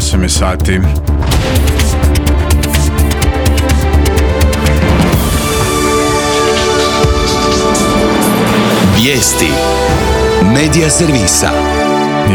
8 je sati. Vijesti Medija servisa.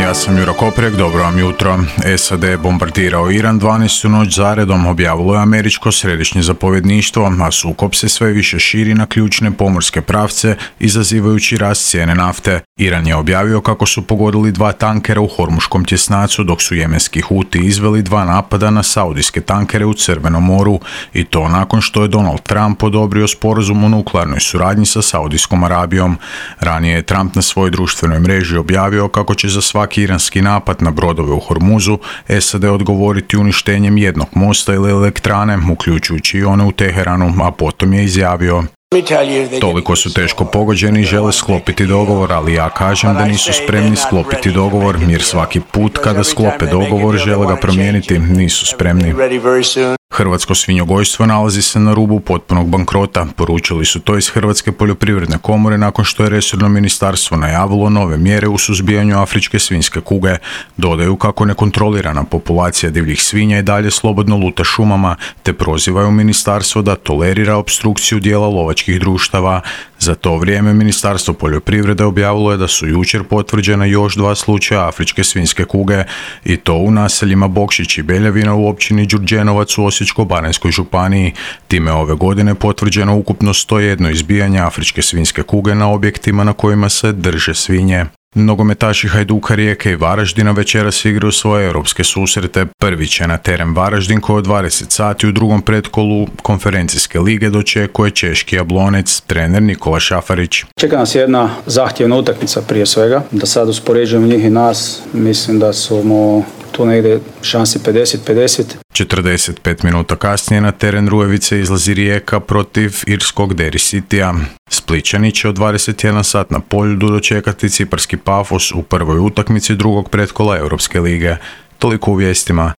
Ja sam Juro Koprek, dobro vam jutro. SAD je bombardirao Iran 12. noć zaredom, objavilo je američko središnje zapovjedništvo, a sukob se sve više širi na ključne pomorske pravce, izazivajući rast cijene nafte. Iran je objavio kako su pogodili 2 tankera u Hormuškom tjesnacu, dok su jemenski Huti izveli 2 napada na saudijske tankere u Crvenom moru, i to nakon što je Donald Trump odobrio sporazum o nuklearnoj suradnji sa Saudijskom Arabijom. Ranije je Trump na svojoj društvenoj mreži objavio kako će za svaki iranski napad na brodove u Hormuzu SAD odgovoriti uništenjem jednog mosta ili elektrane, uključujući i one u Teheranu, a potom je izjavio: toliko su teško pogođeni i žele sklopiti dogovor, ali ja kažem da nisu spremni sklopiti dogovor, jer svaki put kada sklope dogovor žele ga promijeniti, nisu spremni. Hrvatsko svinjogojstvo nalazi se na rubu potpunog bankrota, poručili su to iz Hrvatske poljoprivredne komore nakon što je resorno ministarstvo najavilo nove mjere u suzbijanju afričke svinjske kuge. Dodaju kako nekontrolirana populacija divljih svinja i dalje slobodno luta šumama, te prozivaju ministarstvo da tolerira opstrukciju dijela lovačkih društava. Za to vrijeme Ministarstvo poljoprivrede objavilo je da su jučer potvrđena još 2 slučaja afričke svinjske kuge, i to u naseljima Bokšić i Beljavina u općini Đurđenovac u Osječko-baranjskoj županiji. Time ove godine potvrđeno ukupno 101 izbijanje afričke svinjske kuge na objektima na kojima se drže svinje. Nogometaši Hajduka, Rijeke i Varaždina večeras igraju svoje europske susrete. Prvi će na teren Varaždin koji od 20 sati u drugom pretkolu konferencijske lige dočekuje češki Jablonec, trener Nikola Šafarić. Čeka nas jedna zahtjevna utakmica prije svega. Da sad uspoređujemo njih i nas, mislim da smo tu negdje šansi 50-50. 45 minuta kasnije na teren Rujevice izlazi Rijeka protiv irskog Derry Citya. Splićani će od 21 sat na Poljudu dočekati ciparski Pafos u prvoj utakmici drugog pretkola Europske lige. Toliko u vijestima.